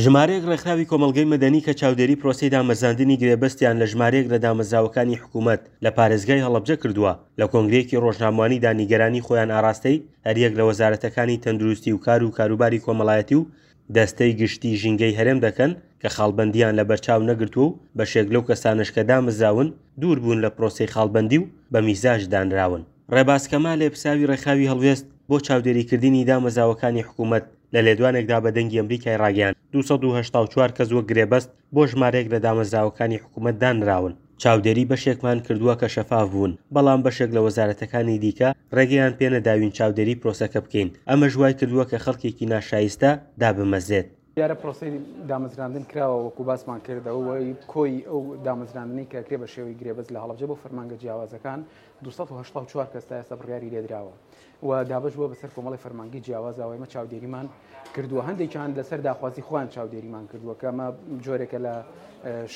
ژمارەیەک ڕێکخراوی کۆمەڵگەی مەدەنی کە چاودێری پرۆسەی دامەزراندنی گرێبەستیان لە ژمارەیەک لە دامەزراوەکانی حکوومەت لە پارێزگای هەڵەبجە کردووە، لە کۆنگرەیەکی ڕۆژنامەوانیدا نیگەرانی خۆیان ئاراستەی هەریەک لە وەزارەتەکانی تەندروستی و کار و کاروباری کۆمەڵایەتی و دەستەی گشتی ژینگەی هەرێم دەکەن کە خاڵبەندییان لەبەرچاو نەگرتووە و بەشێک لەو کەسانەش کە دامەزراون دوور بوون لە پرۆسەی خاڵبەندی و بە میزاج دانراون. ڕێباز کەمال لێپرسراوی ڕێکخراوی هەڵوێست بۆ چاودێریکردنی دامەزراوەکانی حکوومەت لە لێدوانێکدا بە دەنگی ئەمریکای ڕاگەیاند، 284 کەس وەک گرێبەست بۆ ژمارەیەک لە دامەزراوەکانی حکوومەت دانراون. چاودێری بەشێکمان کردووە کە شەفاف بوون، بەڵام بەشێک لە وەزارەتەکانی دیکە ڕێگەیان پێنەداوین چاودێری پرۆسەکە بکەین، ئەمەش وایکردووە کە خەڵکێکی ناشایستە دابمەزرێت. دیارە پرۆسەی دامەزراندن کراوە وەکو باسمان کرد ئەوەی کۆی ئەو دامەزراندنەی کە کرێ بە شێوەی گرێبەست لە هەڵەبجە بۆ فەرمانگە جیاوازەکان 284 کەس تا ئێستا بڕیاری لێدراوە و دابەش بووە بەسەر کۆمەڵی فەرمانگەی جیاوازەوە ئێمە چاودێریمان کردووە هەندێکیان لەسەر داخوازی خۆیان چاودێریمان کردووە کە ئەمە جۆرێکە لە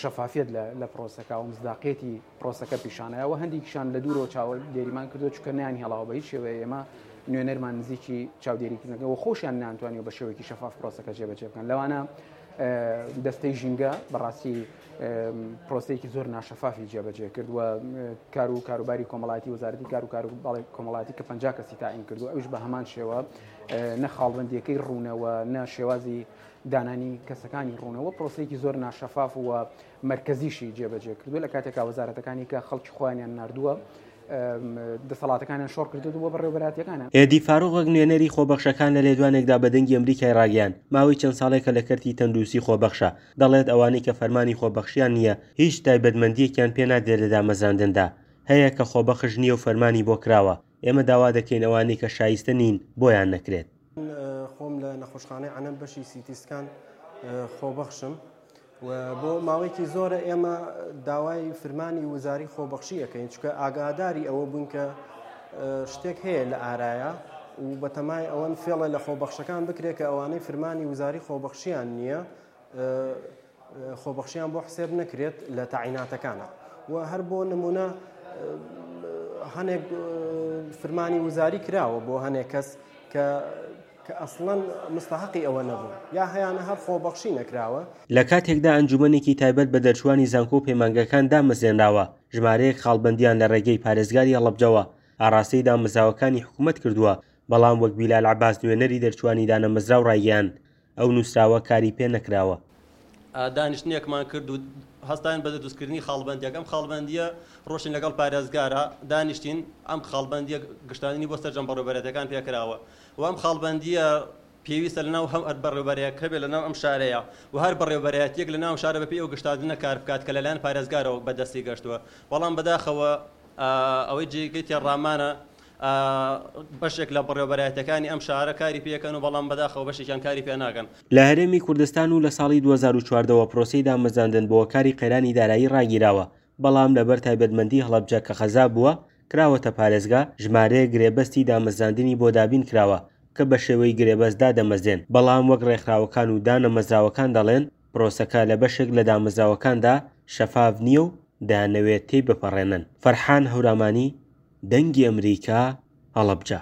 شەفافیت لە پرۆسەکە و مزداقیەتی پرۆسەکە پیشانەوە هەندێکیشان لە دوورەوە چاودێریمان کردووە چونکە نیان هێڵاوە بە هیچ شێوەیە ئێمە نوێنەرمان نزیکی چاودێریکردنەکە و خۆشیان نانتوانیوە بە شێوەیەکی شەفاف پرۆسەکە جێبەجێ بکەن لەوانە دەستەی ژینگە بەڕاستی پرۆسەیەکی زۆر ناشەفافی جێبەجێ کرد و کار و کاروباری کۆمەڵاتی وەزارەتی کار و کاروباری کۆمەڵاتی کە 50 کەسی تاین کردو ئەوش بە هەمان شێوە نە خاڵبندیەکەی ڕوونەوە نە شێوازی دانانی کەسەکانی ڕوونەوە پرۆسەیەکی زۆر ناشەفاف و مەرکەزیشی جێبەجێ کردو لە کاتێکا وەزارەتەکانی کە خەڵکی خۆیانیان نردووە دەسەڵاتەکانیان شۆڕ کردووە بۆ بەڕێوەبەرایەتیەکانیان. ئێدی فاروق وەک نوێنەری خۆبەخشەکان لە لێدوانێکدا بە دەنگی ئەمریکای ڕاگەیاند، ماوەی چەند ساڵێکە لە کەرتی تەندروستی خۆبەخشە، دەڵێت ئەوانەی کە فەرمانی خۆبەخشیان نییە هیچ تایبەتمەندییەکیان پێ نادرێت لە دامەزراندندا هەیە کە خۆبەخش نییە و فەرمانی بۆ کراوە، ئێمە داوا دەکەین ئەوانەی کە شایستە نین بۆیان نەکرێت. من خۆم لە نەخۆشخانەی عەنەب بەشی سیتی سکان خۆبەخشم و بۆ ماوەیەکی زۆرە ئێمە داوای فرمانی وزاری خۆبەخشی ئەەکەین چکە ئاگاداری ئەوە بوون کە شتێک هەیە لە ئارایە و بەتەمای ئەوەن فێڵە لە خۆبەخشەکان بکرێت کە ئەوانەی فرمانی وزاری خۆبەخشیان نییە خۆبەخشیان بۆ حسێب نەکرێت لە تەعیناتەکانە و هەر بۆ نمونە هەنێک فرمانی وزاری کراوە بۆ هەنێک کەس کە کە ئەسڵەن مستحقی ئەوە نەبوو یا هەیانە هەر خۆبەخشی نەکراوە. لە کاتێکدا ئەنجومەنێکی تایبەت بە دەرچووانی زانکۆ و پەیمانگەکان دامەزرێنراوە، ژمارەیەک خاڵبەندیان لە ڕێگەی پارێزگاری هەڵەبجەوە ئاڕاستەی دامەزراوەکانی حکومەت کردووە، بەڵام وەک بیلال عەباس نوێنەری دەرچووانی دانەمەزراو ڕایگەیاند، ئەو نووسراوە کاری پێ نەکراوە. دانیشتنێکمان کرد و هەستاین بە دروستکردنی خاڵبەندیەک، ئەم خاڵبەندیە ڕۆشتین لەگەڵ پارێزگارا دانیشتین، ئەم خاڵبەندیە گشتاندنی بۆ سەرجەم بەڕێوبەرایەتیەکان پێکراوە و ئەم خاڵبەندیە پێویستە لەناو هەر بەڕێوبەرێک هەبێت لەناو ئەم شارەیە و هەر بەڕێوبەرایەتیەک لەناو ئەم شارە بەپێی ئەو گشتاندنە کار بکات کە لەلایەن پارێزگارەوە بەدەستی گەشتووە، بەڵام بەداخەوە ئەوەی جێگەی تێڕامانە بەشێک لە بەڕێوەبەرایەتیەکانی ئەم شارە کاری پێکەن و بەڵام بەداخەوە بەشێکیان کاری پێ ناکەن. لە هەرێمی کوردستان و لە ساڵی 2014 وە پرۆسەی دامەزراندن بۆ هۆکاری قەیرانی دارایی ڕاگیراوە، بەڵام لەبەر تایبەتمەندی هەڵەبجە کە قەزا بووە کراوەتە پارێزگا، ژمارەیەک گرێبەستی دامەزراندنی بۆ دابین کراوە کە بە شێوەی گرێبەست دادەمەزرێن، بەڵام وەک ڕێکخراوەکان و دانەمەزراوەکان دەڵێن پرۆسەکە لە بەشێک لە دامەزراوەکاندا شەفاف نییە و دەیانەوێت تێی بپەڕێنن. فەرحان هەورامانی، دەنگی ئەمریکا، هەڵەبجە.